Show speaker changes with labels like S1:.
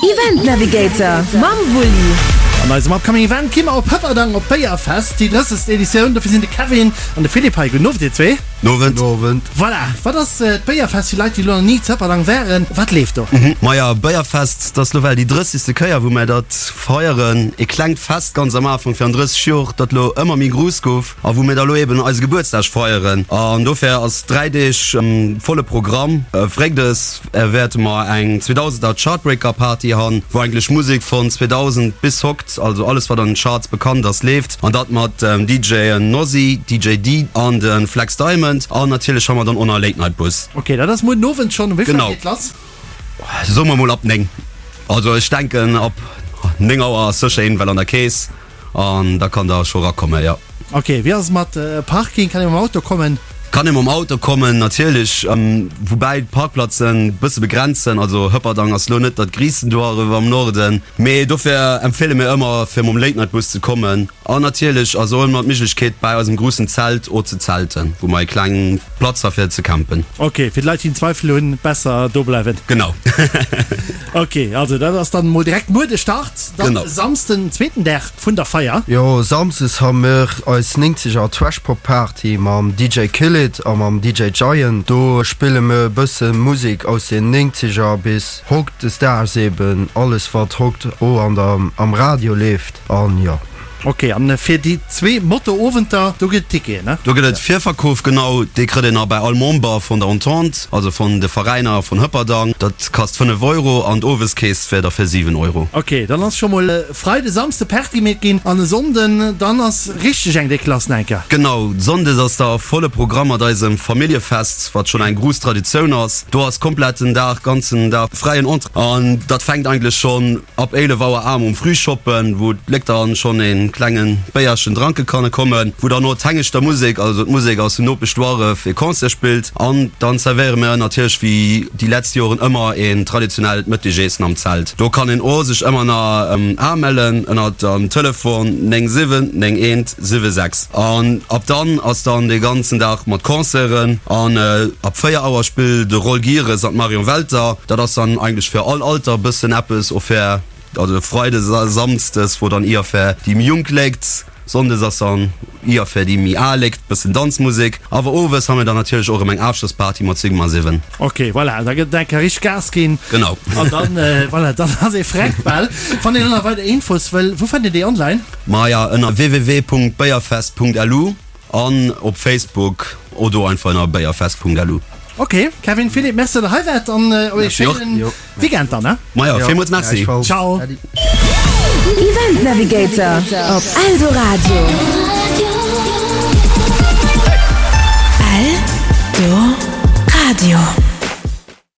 S1: Event Navigator mam Wulli.
S2: An eisem upcoming Event gi mer op Hëpperdang op d'Béierfest, déi 30. Editioun. Dofir sinn de Kevin an de Philippe hei. Gudden Owend dir zwee.
S3: Nowend. Nowend.
S2: Voilà, wat ass d'Béierfest fir Leit déi elo nach ni zu Hëpperdang waren? Wat leeft do?
S3: Maja, Béierfest, dat ass lo well déi 30. Kéier wou mär dat feieren. E klengt Fest ganz am Afank virun 30 Jor, dat lo ëmmer méi gruuss gouf a wou mir da lo eben eise Gebuertsdag feieren. An dofir ass 3 Deeg volle Programm. Fréides wäerte mer eng 2000er Chartbreaker Party han, wou eigentlech Musek von 2000 bis hokt, also alles wat an den Charts bekannt ass leeft, an dat mat dem DJen Nosy, DJ Dee an de Flex Diamond an natierlech han mer dann o na Late Night Bus.
S2: Ok, dat ass muer den Owend schon. Um wéi vill Auer geet lass?
S3: Soe mer mol ab 9. Also ech denken ab 9 Auer ass sécher een well an der Kees an da kann der scho rakommen, jo.
S2: Ok, wéi ass et mat Parking? Kann ee mam Auto kommen?
S3: Kann ee mam Auto kommen, natierlech, woubäi d'Parkplatzen bësse begrenzt sinn. Also Hëpperdang ass lo net dat griisten Duarref am Norden, mee dofir empfehle mir ëmmer fir mam Late Night Bus ze kommen. An natierlech ass och ëmmer d'Méiglechkeet bäi eisem gruussen Zelt o ze zelten, wou mer e kleng Platz ha fir ze campen.
S2: Ok, fir d'Leit déi en Zweifel hunn, besser do bleiwen.
S3: Genau.
S2: Ok, also dat ass dann mol direkt muer de Start, dann
S3: Genau.
S2: Samsden den zweeten Dag vun der Feier.
S4: Jo, Samsdes ha mir eis 90 er Trash-Pop Party mam DJ Kill It a mam DJ Giant. Do spille mir e bësse Musek aus den 90 er bis hautdesdaags eben, alles wat haut o an der am Radio leeft an jo.
S2: Ok, an fir déi zwee Motto-Owenter, do gëtt et Ticketen, ne?
S3: Do gëtt et Virverkoof, genau. Dee kritt een a bei all Member vun der Entente, also vun de Veräiner vun Hëpperdang. Dat kasst 5 Euro an d'Oweskeess wär da fir 7 Euro.
S2: Ok, dann ass scho mol Freide, Samsde Party meet ginn an e Sonnden dann ass richteg eng déck lass enker.
S3: Genau, Sonndes ass da volle Programm mat eisem Familljefest, wat schonn eng gruuss Traditioun ass. Do ass kompletten Dag, ganzen Dag fräien Entrée an dat fänkt eigentlech schonn Ab 11 Auer am um Frühschoppen, wou d'Léck dann schon een klengen Béierchen dranke kanne kommen, wou dann o d'Hengeschter Musek, also d'Musek aus dem Nopeschduarref, ee Concert spillt an dann zerwéiere mir natierlech wéi déi letzt Joren ëmmer een traditionellt Mëttegeessen am Zelt. Do kann een o sech ëmmer na amellen ënnert dem Telefon 9 7 9 1 7 6 an ab dann ass dann dee ganzen Dag mat Concerten an ab 4 Auer spillt de Roll Gieres an d'Marion Welter. Dat ass dann eigentlech fir all Alter bëssen eppes, och fir also Freides a Samsdes wor dann ier fir déi méi jonk Léit, Sonndes ass dann ier fir déi méi al Léit, bëssen Danzmusek. Awer owes ha mir dann natierlech och erëm eng Aafschlossparty mat Sigma 7.
S2: Ok, voilà, da gëtt et eng Kéier richteg Gas ginn.
S3: Genau.
S2: An dann, voilà, dann ass ee freck bal. Wann een elo nach weider Infos wëll, wou fënnt een déi online?
S3: Maja, ënner www.béierfest.lu an op Facebook oder einfach ënner béierfest.lu.
S2: Ok, Kevin, Philippe, Merci, datt der hei waart an ee schéinen Weekend dann, ne?
S3: Maja, villmools Merci.
S2: Ciao.
S1: Event Navigator op Eldoradio.